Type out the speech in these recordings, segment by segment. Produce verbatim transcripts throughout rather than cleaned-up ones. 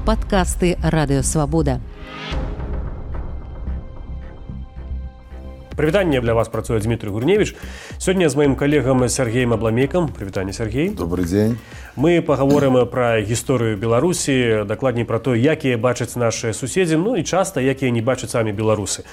Падкасты Радыёвабода. Прывітанне для вас працуе Дмітрый Гурневіч. Сёння з маім калегам Сергеем Абламейкам. Прывітанне, Сергей. Добрый дзень. Мы пагаворым пра гісторыю Беларусі, дакладней пра то, якія бачаць нашы суседзі, ну і часта якія не бачаць самі беларусы.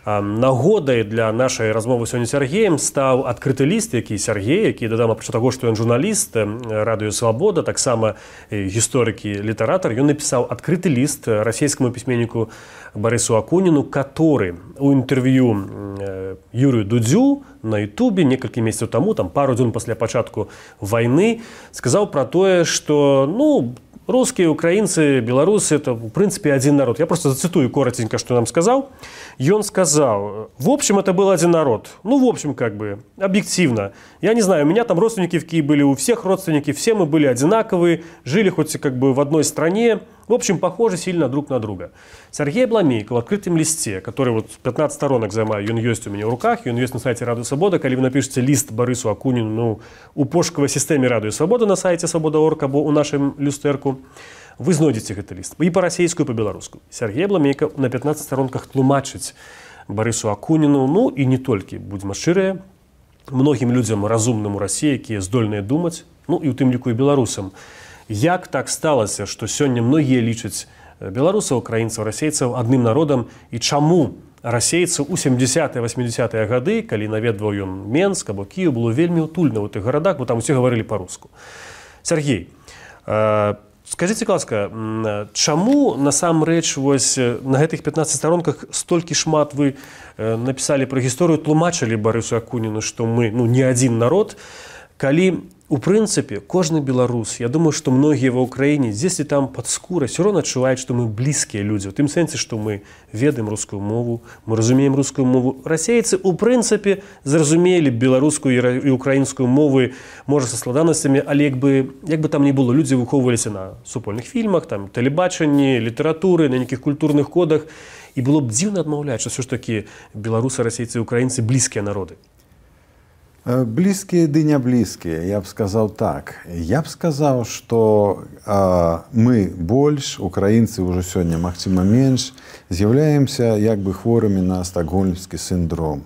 Нагодай для нашай размовы сёння з Сергеем стаў адкрыты ліст, які Сергей, які, дадам, апрача таго, што ён журналіст Радыёвабода, таксама гісторык і літаратар, ён напісаў адкрыты ліст расійскаму пісьменніку Барысу Акуніну, который у інтэрв'ю Юрію Дудзю на Ютубе некалькі месяцаў таму, там пару дзён пасля пачатку вайны, сказаў пра тое, што, ну, русские, украинцы, белорусы – это, в принципе, один народ. Я просто зацитую коротенько, что нам сказал. И он сказал, в общем, это был один народ. Ну, в общем, как бы, объективно. Я не знаю, у меня там родственники в Киеве были, у всех родственники, все мы были одинаковые, жили хоть как бы в одной стране. В общем, похожи сильно друг на друга. Сергей Абламейко в открытом листе, который вот пятнадцать сторонок займаю, он есть у меня в руках, он есть на сайте Радыёвабода. Когда вы напишете лист Барысу Акунину, ну, у пошуковой системе Радыёвабода на сайте свобода точка орг або у нашем люстерку, вы знойдете этот лист. И по-российскому, и по-белорусскому. Сергей Абламейко на пятнадцати сторонках тлумачить Барысу Акунину, ну и не только, будем шчырыя, многим людям разумным у России, которые здольные думать, ну и у тым ліку и белорусам. Як так сталося, што сёння многія лічаць беларусаў, украінцаў, расейцаў адным народам, і чаму расейцаў у сямдзесятыя восьмідзесятыя гады, калі наведваў ён Менск або Кіеў, было вельмі утульна ў тых гарадах, бо там усе гаварылі па-руску. Сергей, э, скажыце, ласка, чаму насамрэч вось на гэтых пятнадцати сторонках столькі шмат вы э, напісалі пра гісторыю, тлумачылі Барысу Акуніну, што мы, ну, не адзін народ, калі у прынцыпе, кожны беларус, я думаю, што многія ва ўкраіне, дзесьці там пад скурай, ўсё роўна адчуваюць, што мы блізкія людзі. У тым сэнсе, што мы ведаем рускую мову, мы разумеем рускую мову. Расейцы, у прынцыпе, зразумелі беларускую і украінскую мовы, можа, са складанасцямі, але як бы, як бы там ні было, людзі выхоўваліся на супольных фільмах, там, тэлебачанні, літаратуры, на нейкіх культурных кодах. І было б дзіўна адмаўляць, што ўсё ж такі беларусы, расейцы і украінцы блізкія народы. Близкие, да не близкие, я бы сказал так. Я бы сказал, что э, мы больше, украинцы уже сегодня максимум меньше, являемся как бы хворыми на стокгольмский синдром.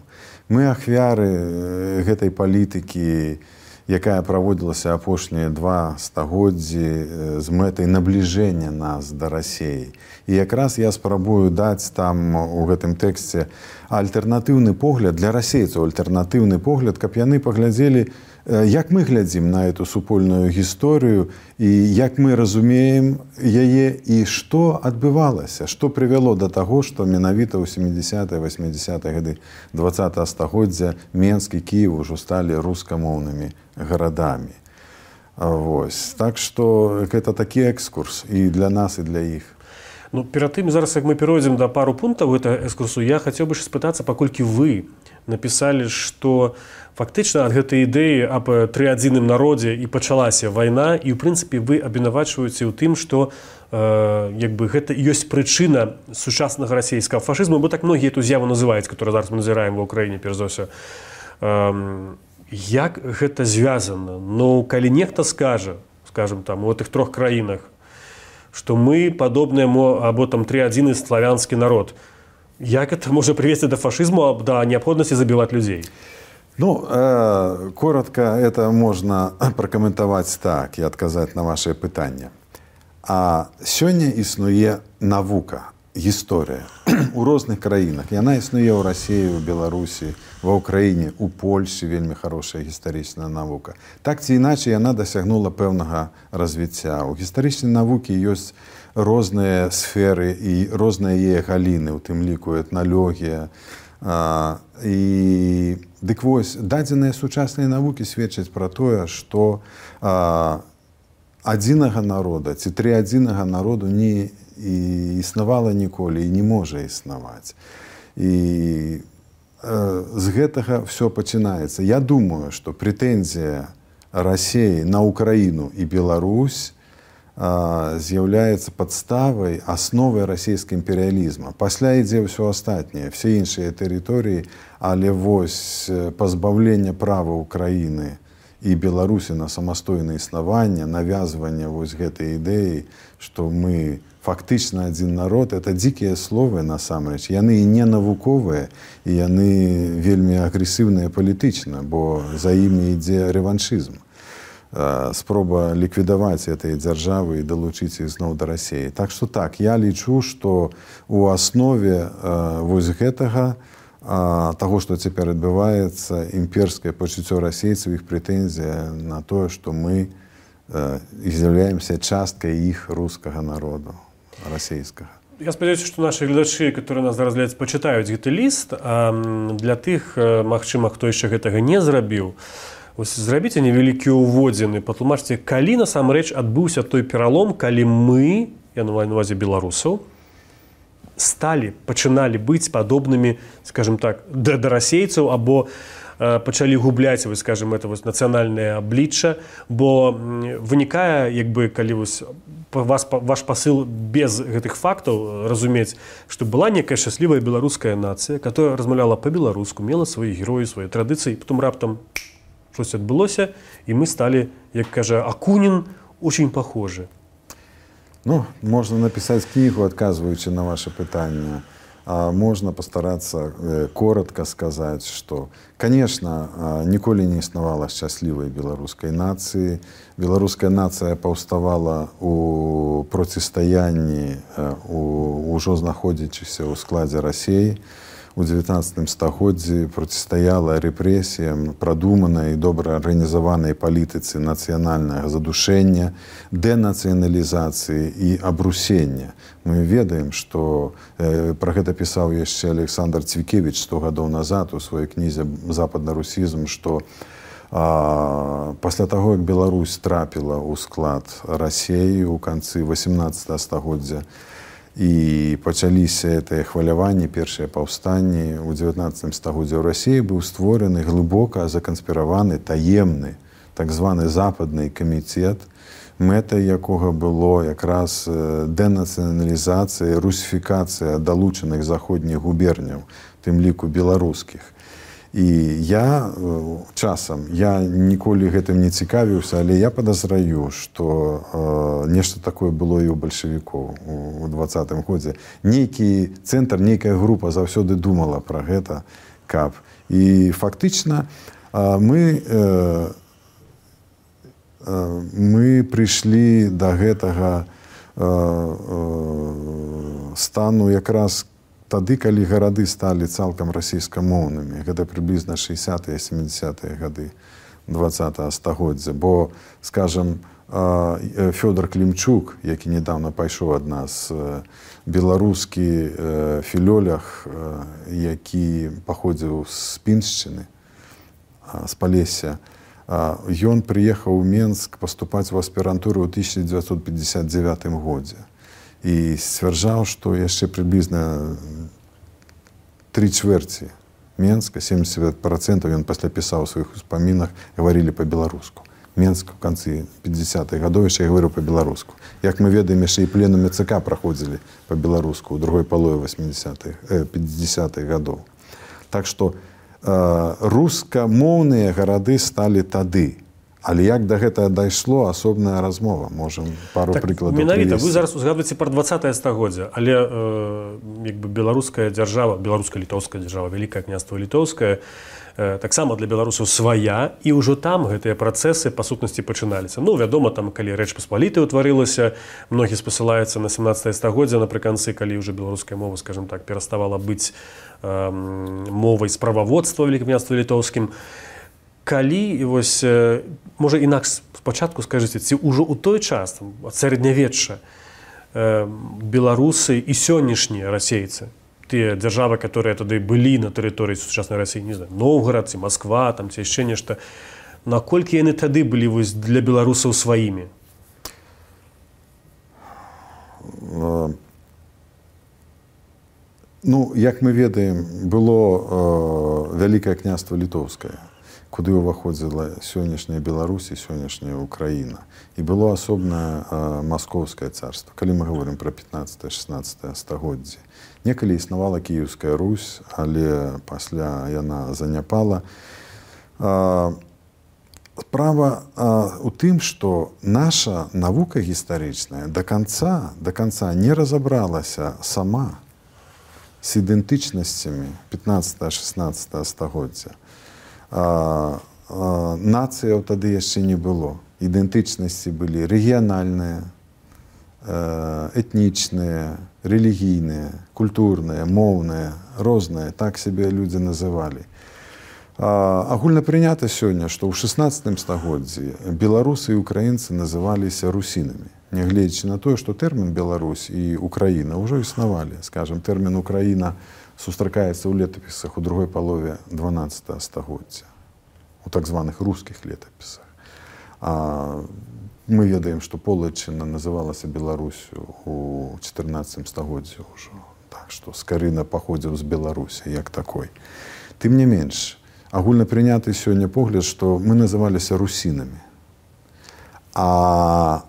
Мы ахвяры этой политики, якая проводилася апошнія два стагоддзі з мэтай набліжэння нас да Расіі. І якраз я спрабую даць там у гэтым тэксце альтэрнатыўны погляд для расейцаў, альтэрнатыўны погляд, каб яны паглядзелі, як мы глядзім на эту супольную гісторыю і як мы разумеем яе і што адбывалася, што прывяло да таго, што менавіта ў сямдзесятыя восьмідзесятыя гады дваццатага стагоддзя Менск і Кіеў ужо сталі рускамоўнымі гарадамі. Вось. Так што гэта такі экскурс і для нас, і для іх. Ну, перад тым, зараз, як мы перайдзем да пару пунктаў гэтага экскурсу, я хацеў бы спытацца, паколькі вы напісалі, што фактычна ад гэтай ідэі аб трыадзіным народзе і пачалася вайна, і, ў прынцыпе, вы абвінавачваеце ў тым, што э, як бы гэта ёсць прычына сучаснага расійскага фашызму, бо так многія эту з'яву называюць, которую зараз мы назіраем ва ўкраіне, перш за ўсё. Э, як гэта звязана? Ну, калі нехта скажа, скажем, там, у гэтых трох краінах, што мы падобныя або там трыадзіны славянскі народ. Як это можа прывесці да фашызму, да неабходнасці забіваць людзей? Ну, э, коротко это можно прокомментовать так и отказать на ваше пытанне. А сёння існуе навука, гісторыя у розных краінах. Яна існуе ў Расіі, у Беларусі, ва Ўкраіне, у Польші вельмі хорошая гістарычная навука. Так ці іначай яна дасягнула пэўнага развіцця. У гістарычнай навукі ёсць розныя сферы і розныя яе галіны, у тым ліку этналогія. А, і дык вось, дадзеныя сучасныя навукі сведчаць пра тое, што а, адзінага народа ці трыадзінага народу не і існавала ніколі і не можа існаваць. І з гэтага все пачынаецца. Я думаю, што прэтэнзія Расіі на Украіну і Беларусь з'яўляецца падставай, асновай расійскага імперыялізма. Пасля ідзе ўсё астатняе, все іншыя тэрыторыі, але вось пазбаўленне права Украіны і Беларусі на самастойнае існаванне, навязванне вось гэтай ідэі, што мы фактычна адзін народ, это дзікія словы насамрэч. Яны і не навуковыя, і яны вельмі агрэсіўныя палітычна, бо за імі ідзе рэваншызм. Спроба ліквідаваць этой дзяржавы і далучыць іх зноў да Расіі. Так што так, я лічу, што у аснове вось гэтага, таго, што цяпер адбываецца, імперскае пачуццё расейцаў, іх прэтэнзія на тое, што мы з'яўляемся часткай іх рускага народу, расійскага. Я спадзяюся, што нашы гледачы, которые нас зараз глядзяць, пачытаюць гэты ліст, а для тых, магчыма, хто яшчэ гэтага не зрабіў, зрабіце невялікі ўводзіны, патлумачце, калі насамрэч адбыўся той пералом, калі мы, я маю на ўвазе беларусаў, сталі, пачыналі быць падобнымі, скажем так, да, да расейцаў, або э, пачалі губляць, вы скажем, это вось нацыянальнае аблічча, бо вынікае, як бы, калі вось вас, ваш пасыл без гэтых фактаў разумець, што была некая шчаслівая беларуская нацыя, которая размаўляла па-беларуску, мела свае героі, свае традыцыі, потом раптам щось адбылося, і мы сталі, як кажа Акунін, очень похожи. Ну, можна напісаць кнігу, адказваючы на ваше пытанне. А можна пастарацца э, коротко сказаць, што, конечно, э, ніколі не існавала шчаслівай беларускай нацыі. Беларуская нацыя паўставала у процістаянні, э, у, ужо знаходзячыся ў складзе Расіі. У дзевятнаццатым стагоддзі процістаяла рэпрэсіям прадуманай і добра арганізаванай палітыцы нацыянальнага задушэння, дэнацыяналізацыі і абрусення. Мы ведаем, што э, пра гэта пісаў яшчэ Александр Цвікевіч сто гадоў назад у сваёй кнізе «Западна-русізм», што а, пасля таго, як Беларусь трапіла ў склад Расіі ў канцы васямнаццатага стагоддзя, і пачаліся гэтыя хваляванні, першыя паўстанні ў дзевятнаццатым стагоддзі ў Расіі быў створаны глыбока заканспіраваны таемны так званы западны камітэт, мэтай якога было якраз дэнацыяналізацыя, русіфікацыя далучаных заходніх губерняў, тым ліку беларускіх. І я часам, я ніколі гэтым не цікавіўся, але я падазраю, што э, нешта такое было і ў бальшавікоў у дваццатым годзе. Нейкі цэнтр, нейкая група заўсёды думала пра гэта, каб. І фактычна э, мы, э, э, мы прыйшлі да гэтага э, э, стану якраз тады, калі гарады сталі цалкам расійскамоўнымі. Гэта прыблізна шэсцятыя сямідзясятыя гады дваццатага стагоддзя. Бо, скажам, Фёдор Клімчук, які недавно пайшоў ад нас, беларускі філолог, які паходзіў з Піншчыны, з Палесся, ён прыехаў у Менск паступаць у аспірантуру ў тысяча дзевяцьсот пятьдесят девятым годзе. І сцвярджаў, што яшчэ прыблізна тры чвэрці Менска, семьдесят процентов, ён пасля пісаў у сваіх успамінах, гаварылі па-беларуску. Менск у канцы пятидесятых гадоў яшчэ гаварыў па-беларуску. Як мы ведаем, яшчэ і пленумы ЦК праходзілі па-беларуску ў другой палове восьмидесятых, э, пятидесятых гадоў. Так што э, рускамоўныя гарады сталі тады. Але як да гэтага дайшло, асобная размова. Можам пару так, прыкладаў менавіта, вы зараз узгадваеце пра дваццатае стагоддзя, але э, як бы беларуская дзяржава, беларуска-літоўская дзяржава, Вялікае княства літоўскае, э, таксама для беларусаў свая, і ўжо там гэтыя працэсы па сутнасці пачыналіся. Ну, вядома, там, калі Рэч Паспалітая ўтварылася, многі спасылаюцца на сямнаццатае стагоддзя, напрыканцы, калі ўжо беларуская мова, скажем так, пераставала быць э, мовай справаводства Вялікае княства літоўскім. Калі, вось, можа, інакш спачатку скажыце, ці ўжо ў той час, ад сярэднявечча, беларусы і сённяшнія расейцы, тыя дзяржавы, которые тады былі на тэрыторыі сучаснай Расіі, не знаю, Новгород, ці Москва, там, ці яшчэ нешта, наколькі яны тады былі вось, для беларусаў сваімі? Ну, як мы ведаем, было э, Вялікае княства літоўскае, куды ўваходзіла сённяшняя Беларусь і сённяшняя Украіна. І было асобнае э, Маскоўскае царства, калі мы говорим пра пятнаццатае-шэснаццатае стагоддзе. Некалі існавала Кіеўская Русь, але пасля яна заняпала. Э, справа а, у тым, што наша навука гістарычная да канца да канца не разабралася сама з ідэнтычнасцямі пятнаццатага-шаснаццатага стагоддзя. А, а, нацыяў тады яшчэ не было. Ідэнтычнасці былі рэгіянальныя, этнічныя, рэлігійныя, культурныя, моўныя, розныя, так сябе людзі называлі. Агульна прынята сёння, што ў шаснаццатым стагоддзі беларусы і украінцы называліся русінамі. Нягледзячы на тое, што тэрмін Беларусь і Украіна ўжо існавалі. Скажам, тэрмін Украіна сустракаецца ў летапісах у другой палове дванаццатага стагоддзя, у так званых рускіх летапісах. А мы ведаем, што Полаччына называлася Беларусю у чатырнаццатым стагоддзі ўжо. Так што Скарына паходзіў з Беларусі як такой. Тым не менш, агульна прыняты сёння погляд, што мы называліся русінамі. А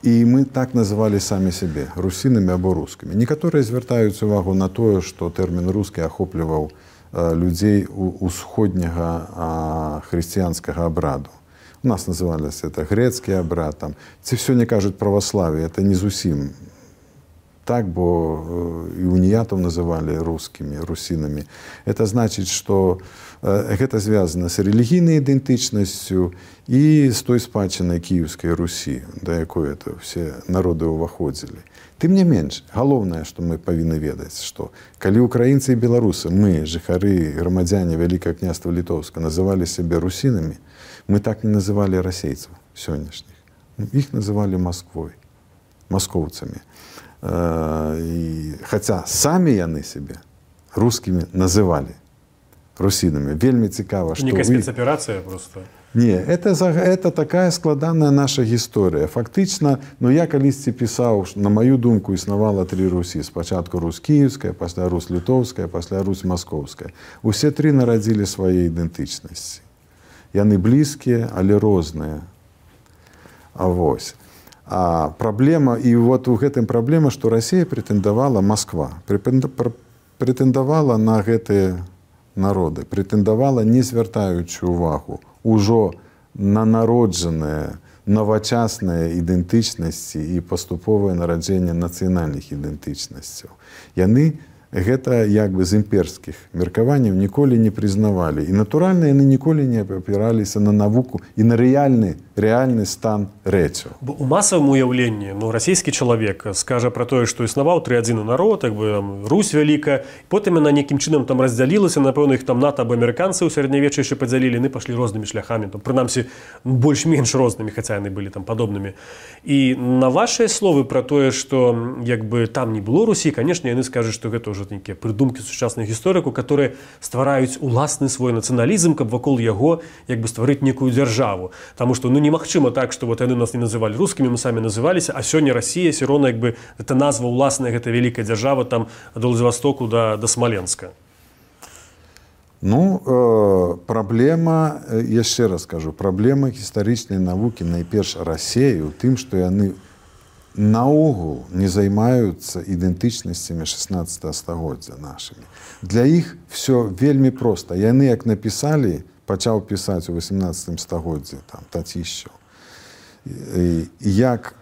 і мы так называлі самі сябе русінамі або рускімі. Некаторыя звяртаюць увагу на тое, што тэрмін рускі ахопліваў людзей усходняга хрысціянскага абраду. У нас называлось это грецкий абрад, там, ці все не кажуть православие, это не зусім так, бо і уніятов называли русскими, русинами. Это значит, что гэта звязано с релігійнай ідэнтычнасцю і з той спадчынай Кіевскай Русі, да якой это все народы ўваходзілі. Тым не менш, галоўнае, што мы павінны ведаць, што калі украінцы і беларусы, мы, жыхары, грамадзяне Вялікага княства Літоўска, называлі сябе русінамі, мы так не называли расейцаў сённяшніх. Іх называлі Масквой, маскоўцамі. Хаця самі яны сябе рускімі называлі русінамі. Вельмі цікава, што... Некая спецаперацыя просто... Не, это, это такая складаная наша гісторыя. Фактычна, ну я калісьці пісаў, на маю думку, існавала тры Русі. Спачатку Русь Кіевская, пасля Русь Літоўская, пасля Русь Маскоўская. Усе тры нарадзілі свае ідэнтычнасці. Яны блізкія, але розныя. А вось. А праблема, і вот у гэтым праблема, што Расія прэтэндавала, Масква, прэтэндавала на гэтыя народы, прэтэндавала, не звяртаючы ўвагу, ужо на народжаныя, новачасныя ідэнтычнасці і паступовае нараджэнне нацыянальных ідэнтычнасцяў. Яны гэта як бы з імперскіх меркаванняў ніколі не прызнавалі. І натуральна, яны ніколі не апіраліся на навуку і на рэальны, рэальны стан рэчаў. У масавым уяўленні, ну, расійскі чалавек скажа пра тое, што існаваў тры адзіны народ, як бы там, Русь вялікая, потым яна нейкім чынам там раздзялілася, напэўна, іх там НАТО або амерыканцы ў сярэднявеччы яшчэ падзялілі, яны пашлі рознымі шляхамі, там, прынамсі, больш-менш рознымі, хаця яны былі там падобнымі. І на вашыя словы пра тое, што як бы там не было Русі, канешне, яны скажуць, што гэта ўжо нейкія прыдумкі сучасных гісторыкаў, которые ствараюць уласны свой нацыяналізм, каб вакол яго як бы стварыць некую дзяржаву. Таму што ну немагчыма так, што вот яны нас не называлі рускімі, мы самі называліся, а сёння Расія все роўна як бы гэта назва ўласная, гэта вялікая дзяржава там ад Владзівастоку да, да Смаленска. Ну, э, праблема, яшчэ раз скажу, праблема гістарычнай навукі найперш Расіі ў тым, што яны наогул не займаюцца ідэнтычнасцямі шаснаццатага стагоддзя нашымі. Для іх все вельмі проста. Яны, як напісалі, пачаў пісаць у васемнаццатым стагоддзі, там, Татішчаў. Як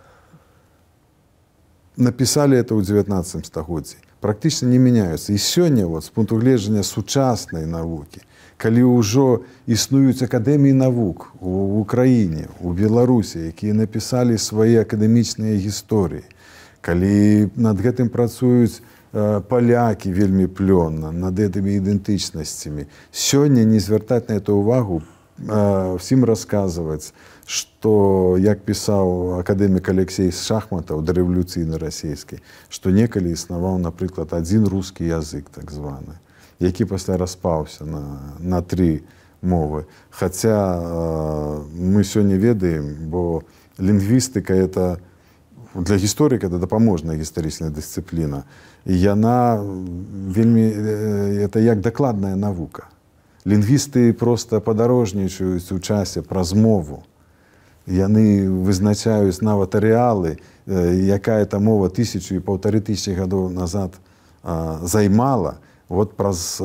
напісалі это ў дзевятнаццатым стагоддзі, практычна не мяняюцца. І сёння, вот, з пункту гледжання сучаснай навукі, калі ўжо існуюць акадэміі навук у Украіне, у Беларусі, якія напісалі свае акадэмічныя гісторыі, калі над гэтым працуюць э, палякі вельмі плённа, над гэтымі ідэнтычнасцямі, сёння не звяртаць на это ўвагу, э, всім расказваць, што, як пісаў акадэмік Алексей Шахматаў, дарэвалюцыйны расійскі, што некалі існаваў, напрыклад, адзін рускі язык, так званы, які пасля распаўся на, на тры мовы. Хаця э, мы сёння ведаем, бо лінгвістыка это для гісторыка это дапаможная гістарычная дысцыпліна. І яна вельмі э, это як дакладная навука. Лінгвісты проста падарожнічаюць у часе праз мову. Яны вызначаюць нават арэалы, э, якая та мова тысячу і паўтары тысячы гадоў назад э, займала. вот праз,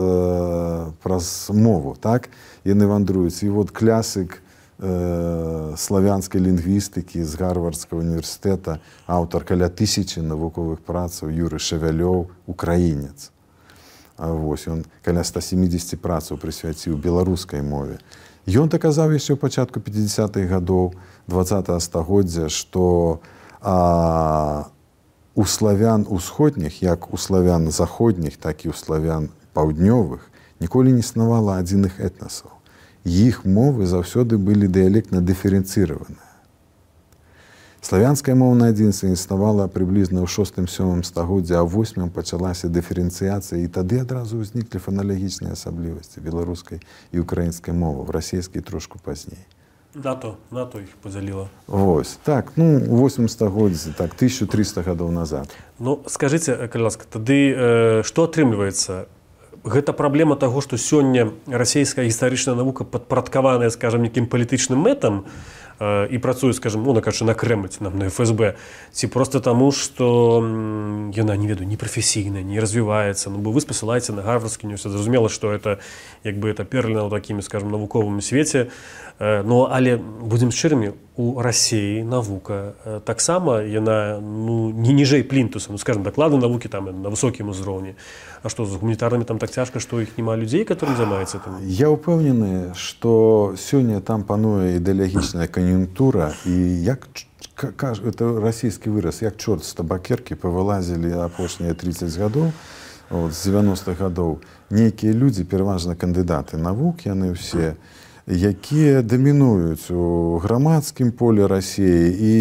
праз мову, так? Яны вандруюць. І вот клясык э, славянскай лінгвістыкі з Гарвардскага універсітэта, аўтар каля тысячы навуковых працаў Юры Шавялёў, украінец. Вось, ён каля ста сямідзесяці працаў прысвяціў беларускай мове. Ён даказаў яшчэ ў пачатку пяцідзясятых гадоў дваццатага стагоддзя, што а, у славян усходніх, як у славян заходніх, так і ў славян паўднёвых, ніколі не існавала адзіных этнасаў. Іх мовы заўсёды былі дыялектна дыферэнцыраваныя. Славянская мовная адзінства існавала прыблізна ў шостым-сёмым стагоддзі, а ў восьмым пачалася дыферэнцыяцыя, і тады адразу ўзніклі фаналагічныя асаблівасці беларускай і украінскай мовы, в расійскай трошку пазней. НАТО, НАТО іх падзяліла. Вось, так, ну, у восьмым стагоддзі, так, тысяча трыста гадоў назад. Ну, скажыце, калі ласка, тады э, што атрымліваецца? Гэта праблема таго, што сёння расійская гістарычная навука падпарадкаваная, скажам, нейкім палітычным мэтам, і працуе, скажем, ну, накажу, на Кремль, нам, на эф эс бэ, ці просто таму, што яна, не ведаю, не прафесійная, не развіваецца. Ну, бо вы спасылаеце на Гарвардскі універсітэт. Зразумела, што это, як бы, это перліна ў такім, скажем, навуковым свеце. Ну, але, будзем шчырымі, у Расіі навука таксама, яна, ну, не ніжэй плінтуса, ну, скажем, даклады навукі там на высокім узроўні. А што, з гуманітарнымі там так цяжка, што іх няма людзей, которым займаецца там? Я ўпэўнены, што сёння там пануе ідэалагічная кан'юнктура, і як, это расійскі выраз, як чорт з табакеркі павылазілі апошнія трыццаць гадоў, от, з дзевяностых гадоў, нейкія людзі, пераважна кандыдаты навук, яны ўсе, якія дамінуюць у грамадскім полі Расіі і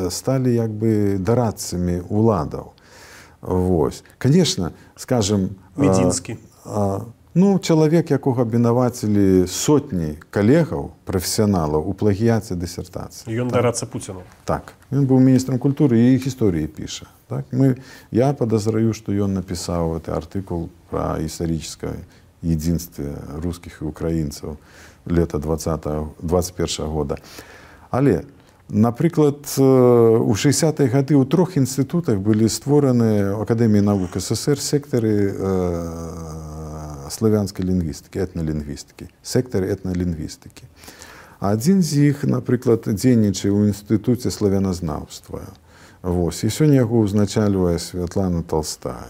сталі як бы дарадцамі уладаў. Вось. Конечно, скажем, Медзінскі. А, а, ну, чалавек, якога абвінавацілі сотні калегаў, прафесіяналаў у плагіяце дысертацыі. Ён так? дарацца Пуціну. Так. Ён быў міністрам культуры і гісторыі піша. Так? Мы, я подозраю, што ён напісаў гэты артыкул пра гістарычнае единстве русских и украинцев лета двадцать первого года. Але, наприклад, у шестидесятые годы у трех институтах были створены в Академии наук СССР секторы э, славянской лингвистики, этнолингвистики, секторы этнолингвистики. Один из них, наприклад, дзейнічае у Институте славянознаўства. Вось. И сегодня его узначальвае Святлана Толстая.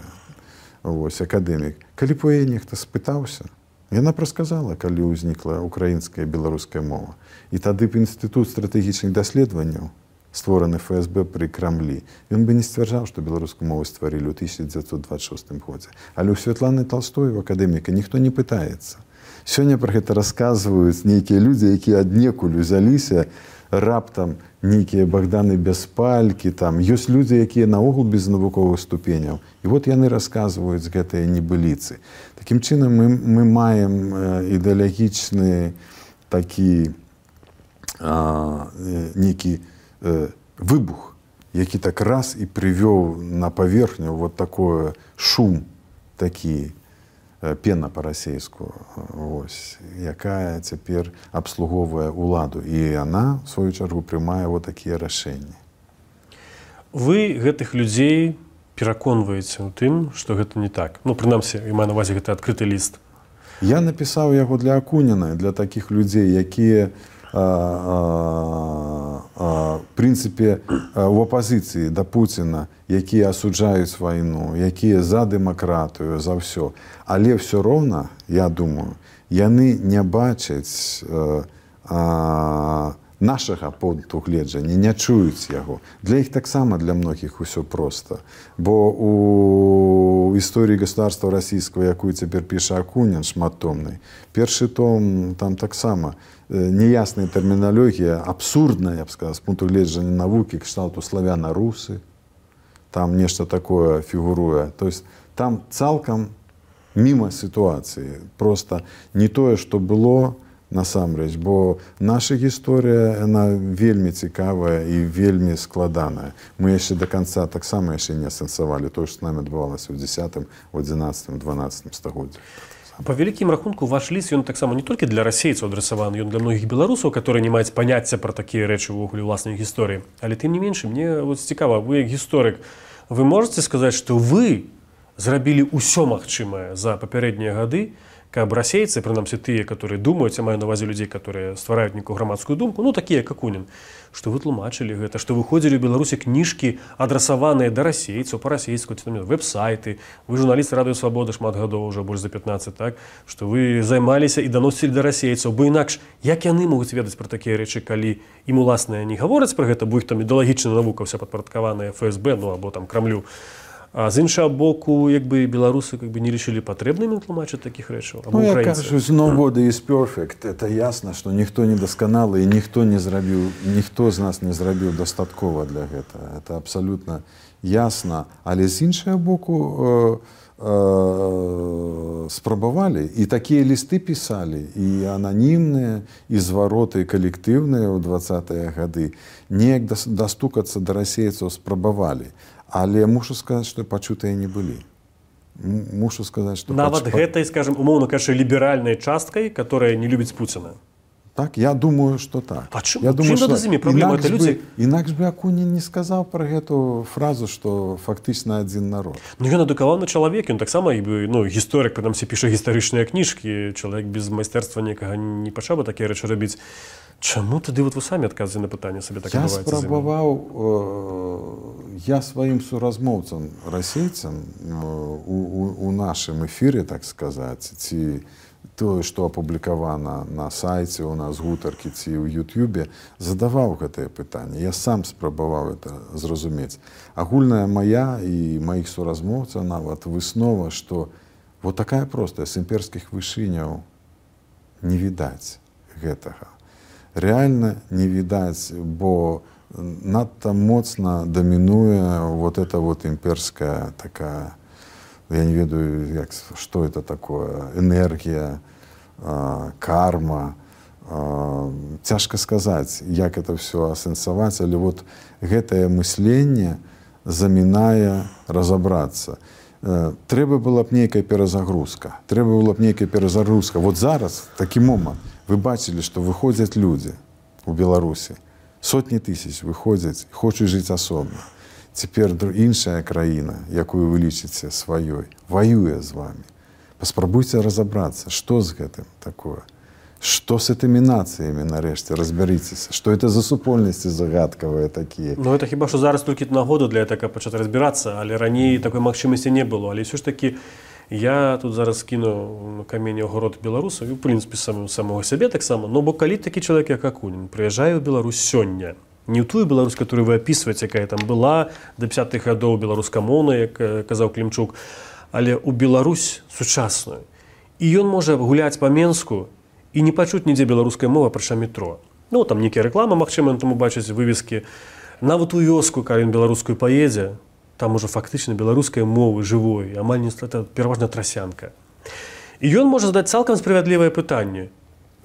Вось, акадэмік. Калі б яе нехта спытаўся, яна прасказала, калі ўзнікла украінская і беларуская мова. І тады б Інстытут стратэгічных даследаванняў, створаны эф эс бэ пры Крамлі, ён бы не сцвярджаў, што беларускую мову стварылі ў тысяча дзевяцьсот двадцать шостым годзе. Але ў Святланы Толстой, у акадэміка, ніхто не пытаецца. Сёння пра гэта расказваюць нейкія людзі, якія аднекуль узяліся, раптам нейкія Богданы Бяспалькі, там ёсць людзі, якія наогул без навуковых ступеняў. І вот яны расказваюць гэтыя небыліцы. Такім чынам мы, мы маем ідэалагічны такі а, нейкі э, выбух, які так раз і прывёў на паверхню вот такое шум такі, пена па-расейску, вось, якая цяпер абслугоўвае ўладу. І яна, в сваю чаргу, прымае вот такія рашэнні. Вы гэтых людзей пераконваеце ў тым, што гэта не так. Ну, прынамсі, я маю на ўвазе гэты адкрыты ліст. Я напісаў яго для Акуніна, для такіх людзей, якія в прынцыпе у апазіцыі да Пуціна, якія асуджаюць вайну, якія за дэмакратыю, за ўсё. Але ўсё роўна, я думаю, яны не бачаць нашага пункту гледжання, не чуюць яго. Для іх таксама, для многіх усё проста. Бо у історыі государства расійскага, якую цяпер піша Акунін, шматтомнай, першы том там таксама неясная тэрміналогія, абсурдная, я б сказаў, з пункту гледжання навукі, кшталту славяна-русы, там нешта такое фігуруе. То есть там цалкам міма сітуацыі. Просто не тое, што было насамрэч, бо наша гісторыя, яна вельмі цікавая і вельмі складаная. Мы яшчэ да канца таксама яшчэ не асэнсавалі тое, што з намі адбывалася ў дзесятым, у адзінаццатым, дванаццатым стагоддзях. Па вялікім рахунку, ваш ліст, ён таксама не толькі для расейцаў адрасаваны, ён для многіх беларусаў, которые не маюць паняцця пра такія рэчы ўвогуле ўласнай гісторыі. Але тым не менш, мне вот цікава, вы як гісторык, вы можаце сказаць, што вы зрабілі ўсё магчымае за папярэднія гады, каб расейцы, прынамсі тыя, которые думаюць, я маю на ўвазе людзей, которые ствараюць нейкую грамадскую думку, ну такія як Акунін, што вы тлумачылі гэта, што выходзілі ў Беларусі кніжкі, адрасаваныя да расейцаў па-расейску, веб-сайты, вы журналісты Радыё Свабода шмат гадоў, уже больш за пятнаццаць, так, што вы займаліся і даносілі да расейцаў, бо інакш як яны могуць ведаць пра такія рэчы, калі ім уласна не гавораць пра гэта, бо іх там ідэалагічная навука ўся падпарадкаваная эф эс бэ, ну або там Крамлю. А з іншого боку, якби білоруси якби не вирішили потрібними тлумачити таких речей, або ну, українці. Я кажу, nobody is perfect. Це ясно, що ніхто не досконалий, і ніхто не зробив, ніхто з нас не зробив достатково для цього. Це абсолютно ясно. Але з іншого боку, е, е, спробували, і такі листи писали, і анонімні, і звороти колективні у двадцятые годы. Неяк достукатися до російців спробували. Але мушу сказати, що почутые не були. Мушу сказати, що... Нават поч... гэтай, скажем, умовно кажучи, ліберальнай часткай, которая не любить Путина. Так, я думаю, що так. А чому? Я думаю, чим що проблема? Інакш, люди... би, інакш би Акунін не сказав про эту фразу, що фактично один народ. Ну, ён адукаваны чалавек, ён таксама, ну, гісторык, прынамсі, піша гістарычныя кніжкі, чалавек без майстэрства некага не пачаў бы такія рэчы рабіць. Чаму тады вот вы самі адказваеце на пытанне сабе так адбываецца? Я спрабаваў, э, я сваім суразмоўцам, расейцам у, у, у нашым эфіры, так сказаць, ці тое, што апублікавана на сайце у нас гутаркі ці ў Ютубе, задаваў гэтае пытанне. Я сам спрабаваў это зразумець. Агульная мая і маіх суразмоўцаў нават выснова, што вот такая простая, з імперскіх вышыняў не відаць гэтага. Реально не видать, бо надто моцно доминуя вот эта вот имперская такая, я не ведаю, як, что это такое, энергия, э, карма. Э, тяжко сказать, як это все асэнсаваць, але вот гэтае мысленне замінае разобраться. Э, трэба была б нейкая перазагрузка, трэба была б нейкая перазагрузка. Вот зараз, такі момант, вы бачили, что выходят люди у Беларуси, сотни тысяч выходят, хочуць жить особно. Теперь іншая краіна, якую вы лічыце сваёй, воюе з вами. Паспрабуйце разобраться, что с гэтым такое, что с этими нациями, нарэшце, разберитесь, что это за супольности загадкавыя такие. Ну, это хіба, что зараз толькі нагода для этого пачаць разбираться, але раней такой магчымасці не было, але все ж таки я тут зараз кіну камень у город беларусаў, і, в прынцыпе, самого, самого сябе таксама, но бо калі такі чалавек, як Акунін, прыязджае ў Беларусь сёння, не ў тую Беларусь, которую вы опісваеце, якая там была да пятьдесятых гадоў беларускамоўная, як казаў Клімчук, але ў Беларусь сучасную. І ён можа гуляць па Менску і не пачуць нідзе беларускай мовы, апрача метро. Ну, там нейкія рэкламы, магчыма, там убачыць вывескі. Нават у вёску, калі ён беларускую паедзе, там уже фактично беларускай мовы живой, амаль не это пераважна трасянка. И он может задать цалкам справедливое пытанне.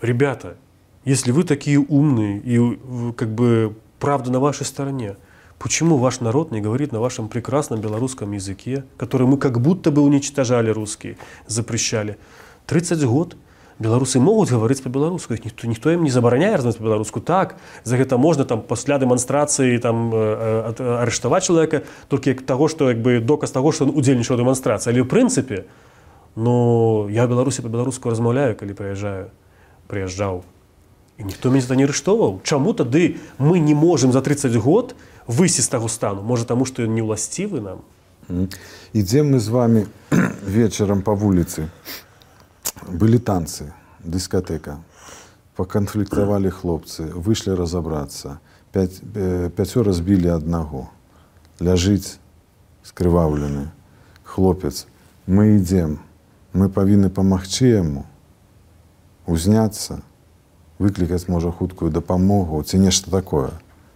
Ребята, если вы такие умные и как бы правда на вашей стороне, почему ваш народ не говорит на вашем прекрасном белорусском языке, который мы как будто бы уничтожали русские, запрещали? тридцать год белорусы могут говорить по-белорусски, никто, никто им не забороняет разговаривать по-белорусски. Так, за это можно там, после демонстрации там, э, э, арестовать человека только того, что как бы, доказ того, что он удзельнічаў у демонстрации. Але в принципе, ну, я в Беларуси по-белорусски размаўляю, когда приезжаю, приезжал. И никто меня за это не арестовал. Чему тады мы не можем за тридцать год выйти с того стану? Может, потому что не властивы нам? Идем мы с вами вечером по улице. Были танцы, дискотека, поконфликтовали хлопцы, вышли разобраться, пять, э, пяцёра збили одного, ляжить скрываўлены, хлопец, мы идем, мы повинны помагчы ему, узняться, выкликать, может, хуткую допомогу, ці нешта такое,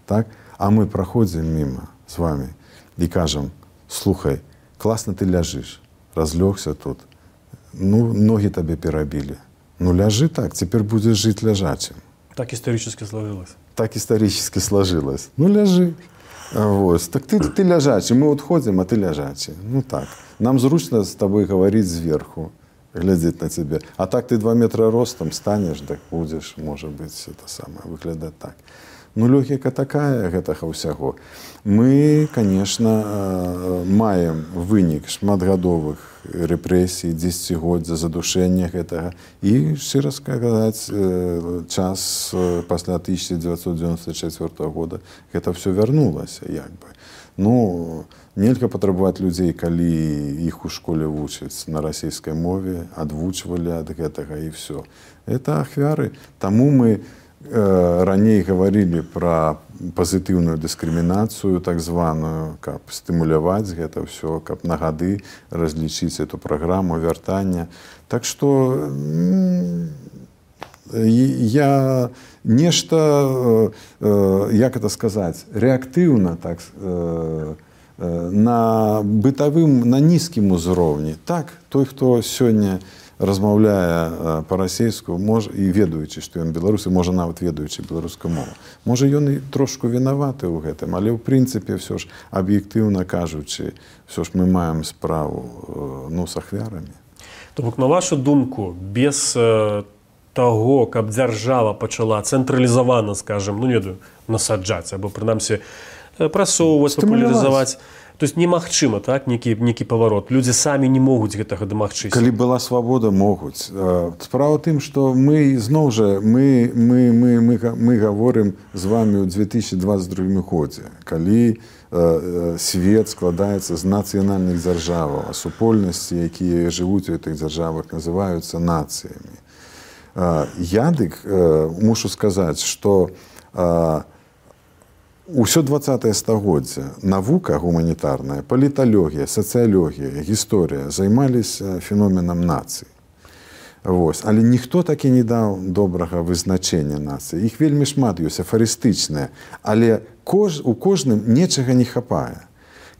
так? А мы проходим мимо с вами и кажем, слухай, классно ты ляжешь, разлегся тут, ну, ноги тебе перебили. Ну, ляжи так, теперь будешь жить лежачим. Так исторически сложилось. Так исторически сложилось. Ну, ляжи. Вот. Так ты, ты лежачий. Мы вот ходим, а ты лежачий. Ну, так. Нам зручно с тобой говорить сверху, глядеть на тебя. А так ты два метра ростом станешь, так будешь, может быть, это самое, выглядать так. Ну логіка такая гэтага ўсяго. Мы, конечно, маем вынік шматгадовых рэпрэсій, дзесяцігоддзя, задушэння гэтага. І, шчыра сказаць, час пасля тысяча девятьсот девяносто четвёртого года гэта все вярнулася, як бы. Ну, нельга патрабаваць людзей, калі іх у школе вучаць на расійскай мове, адвучвалі ад гэтага і все. Это ахвяры. Таму мы э, раней гаварылі пра пазітыўную дыскрымінацыю, так званую, каб стымуляваць гэта ўсё, каб на гады разлічыць эту праграму вяртання. Так што я нешта, як это сказаць, рэактыўна, так, на бытавым, на нізкім узроўні. Так, той, хто сёння размаўляе па-расейску, і ведаючы, што ён беларусы, можа нават ведаючы беларускую мову. Можа, ён і трошку вінаваты ў гэтым, але ў прынцыпе ўсё ж аб'ектыўна кажучы, ўсё ж мы маем справу, ну, з ахвярамі. То бок, на вашу думку, без таго, каб дзяржава пачала цэнтралізавана, скажем, ну, не ведаю, насаджаць, або, прынамсі, прасоўваць, папулярызаваць. То есть немагчыма, так, некі, некі паварот. Людзі самі не могуць гэтага дамагчыся. Калі была свабода, могуць. Справа ў тым, што мы, зноў жа, мы, мы, мы, мы, мы гаворым з вамі ў две тысячи двадцать другім годзе, калі э, свет складаецца з нацыянальных дзяржаваў, а супольнасці, якія жывуць у гэтых дзяржавах, называюцца нацыямі. Я дык э, мушу сказаць, што э, усё двадцатае стагоддзе навука гуманітарная, паліталогія, сацыялогія, гісторыя займаліся феноменам нацыі. Вось. Але ніхто так і не даў добрага вызначэння нацыі. Іх вельмі шмат ёсць, афарыстычныя, але кож, у кожным нечага не хапае.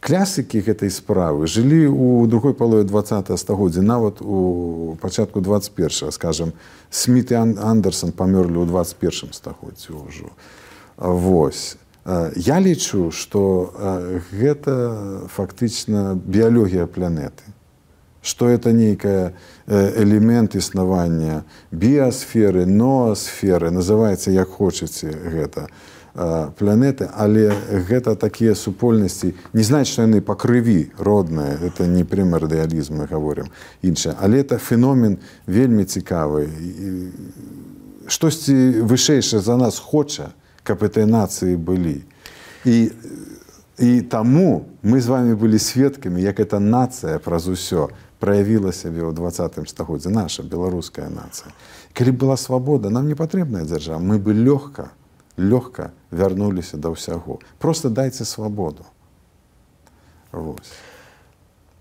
Клясыкі гэтай справы жылі ў другой палове двадцатага стагоддзя, нават у пачатку двадцать першага, скажем, Сміт і Андерсон памёрлі ў двадцать першым стагоддзі ўжо. Вось. Я лічу, што гэта фактычна біялогія планеты, што это нейкая элемент існавання біасферы, ноасферы, называецца як хочаце гэта, планеты, але гэта такія супольнасці, не знаць, што яны па крыві родныя, это не прэмардыялізм, мы гаворым, іншае, але это феномен вельмі цікавы. Штосьці вышэйшае за нас хоча, каб этой нацыі былі. І, і таму мы з вами былі сведкамі, як эта нацыя праз усё праявіла сябе ў двадцатым стагоддзі, наша беларуская нацыя. Калі была свабода, нам не патрэбная дзяржава, мы бы лёгка, лёгка вярнуліся да ўсяго. Просто дайце свабоду. Вось.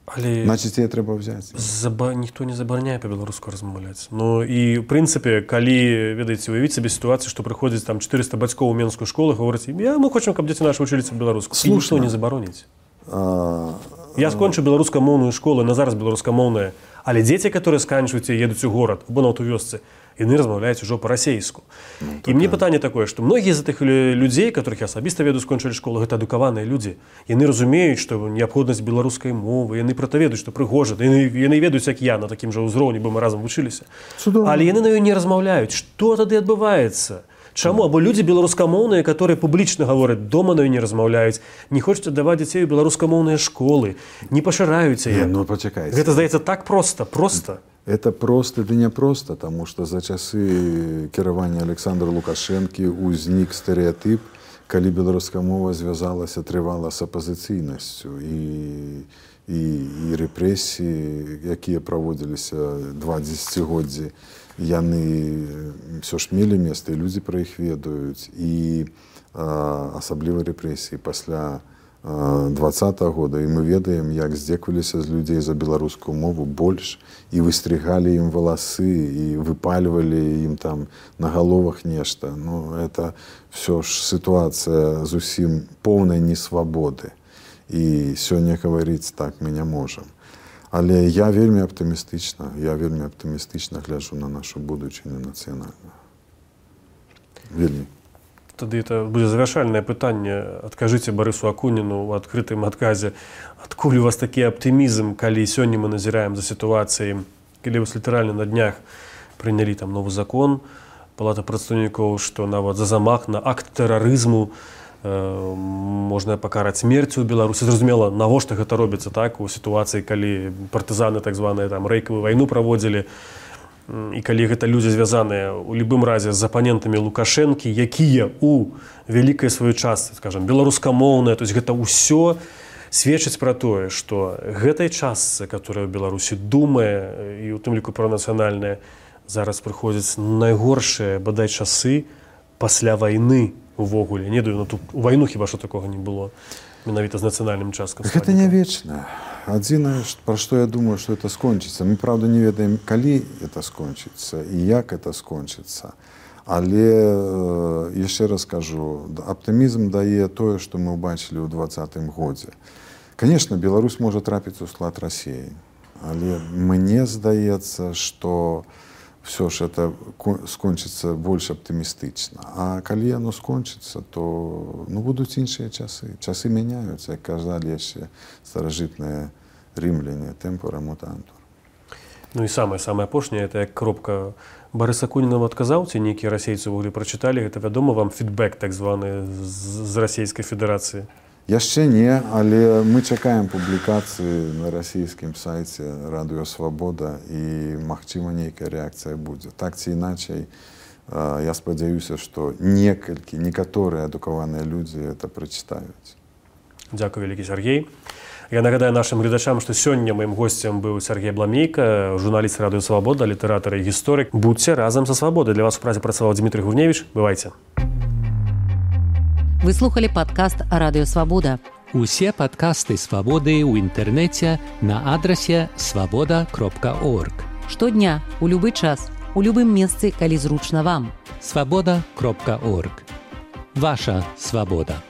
Але значыць, яе трэба ўзяць. Заба... Ніхто не забараняе па-беларуску размаўляць. Ну і, ў прынцыпе, калі, ведаеце, уявіць сабе сітуацыю, што прыходзіць там четыреста бацькоў у менскую школу, гаворыць, я, мы хочам, каб дзеці нашы вучыліся па-беларуску. І ніхто не забароніць. А... Я скончыў беларускамоўную школу, на зараз беларускамоўная, але дзеці, которые сканчваюць і едуць у горад, або нават у вёсцы, яны размаўляюць ужо па-расейску. Ну, і мне пытанне такое, што многія з тых людзей, которых я асабіста веду, скончылі школу, гэта адукаваныя людзі. Яны разумеюць, што неабходнасць беларускай мовы, яны пра то ведаюць, што прыгожа, яны, яны ведаюць, як я, на такім жа ўзроўні, бо мы разам вучыліся. Цудоўна. Але яны на ёй не размаўляюць. Што тады адбываецца? Чаму? Або людзі беларускамоўныя, которые публічна гавораць, дома на ёй не размаўляюць, не хочуць аддаваць дзяцей у беларускамоўныя школы, не пашыраюць яе. Ну, пачакайце. Гэта, здаецца, так проста, проста. Это просто, да не просто, тому что за часы кіравання Александра Лукашэнкі узнік стэрэатып, калі беларуская мова звязалася трывала з апазіцыйнасцю і, і, і рэпрэсіі, якія праводзіліся два дзесяцігоддзі, яны ўсё ж мелі месца, і людзі пра іх ведаюць, і а, асабліва рэпрэсіі пасля двадцатого года, і мы ведаем, як здзекваліся з людзей за беларускую мову больш, і выстригалі ім валасы, і выпальвалі ім там на галовах нешта. Ну, это все ж сітуацыя зусім поўнай несвабоды. І сёння гаварыць так мы не можам. Але я вельмі аптымістычна, я вельмі аптымістычна гляджу на нашу будучыню нацыянальную. Вельмі. Тады это будзе завяршальнае пытанне. Адкажыце Барысу Акуніну ў адкрытым адказе, адкуль у вас такі аптымізм, калі сёння мы назіраем за сітуацыяй, калі вас літаральна на днях прынялі там новы закон, Палата прадстаўнікоў, што нават за замах на акт тэрарызму можна пакараць смерцю ў Беларусі. Зразумела, навошта гэта робіцца так у сітуацыі, калі партызаны так званыя там рэйкавую вайну праводзілі, і калі гэта людзі звязаныя у любым разе з апанентамі Лукашэнкі, якія у вялікай сваёй частцы, скажам, беларускамоўныя, то есть гэта ўсё сведчыць пра тое, што гэтай частцы, которая ў Беларусі думае, і ў тым ліку пра нацыянальнае, зараз прыходзяць найгоршыя, бадай, часы пасля вайны увогуле. Не даю, ну тут у вайну хіба што такога не было, менавіта з нацыянальным часткам. Гэта не вечна. Адзінае, пра што я думаю, што это скончыцца. Мы, правда, не ведаем, калі это скончыцца і як это скончыцца. Але, яшчэ раз кажу, аптымізм дае тое, што мы ўбачылі ў двадцатым годзе. Конечно, Беларусь можа трапіць у склад Расіі, але мне здаецца, што все ж это скончыцца больш аптымістычна. А калі яно скончыцца, то ну, будуць іншыя часы. Часы мяняюцца, як казалі яшчэ старажытныя рымляне, тэмпора мутантур. Ну і самае-самае апошняе, это як кропка Барыса Куніна адказаў, ці нейкія расейцы ўвогуле прачыталі, гэта вядома вам фідбэк так званы з Расійскай Федэрацыі? Яшчэ не, але мы чакаем публікацыі на расійскім сайце Радыё Свабода і, магчыма, нейкая рэакцыя будзе. Так ці іначай, я спадзяюся, што некалькі, некаторыя адукаваныя людзі это прачытаюць. Дзякуй вялікі, Сергей. Я нагадаю нашим гледачам, што сёння маім госцем быў Сергей Бламейка, журналіст Радыё Свабода, літаратар і гісторык. Будзьце разам са Свабодай. Для вас у працы працаваў Дмітрий Гурневіч. Бывайце. Вы слухали падкаст «Радыё Свабода». Усе падкасты Свабоды ў інтэрнэце на адрасе свабода кропка орг. Штодня, у любы час, у любым месцы, калі зручна вам. свабода кропка орг. Ваша свабода.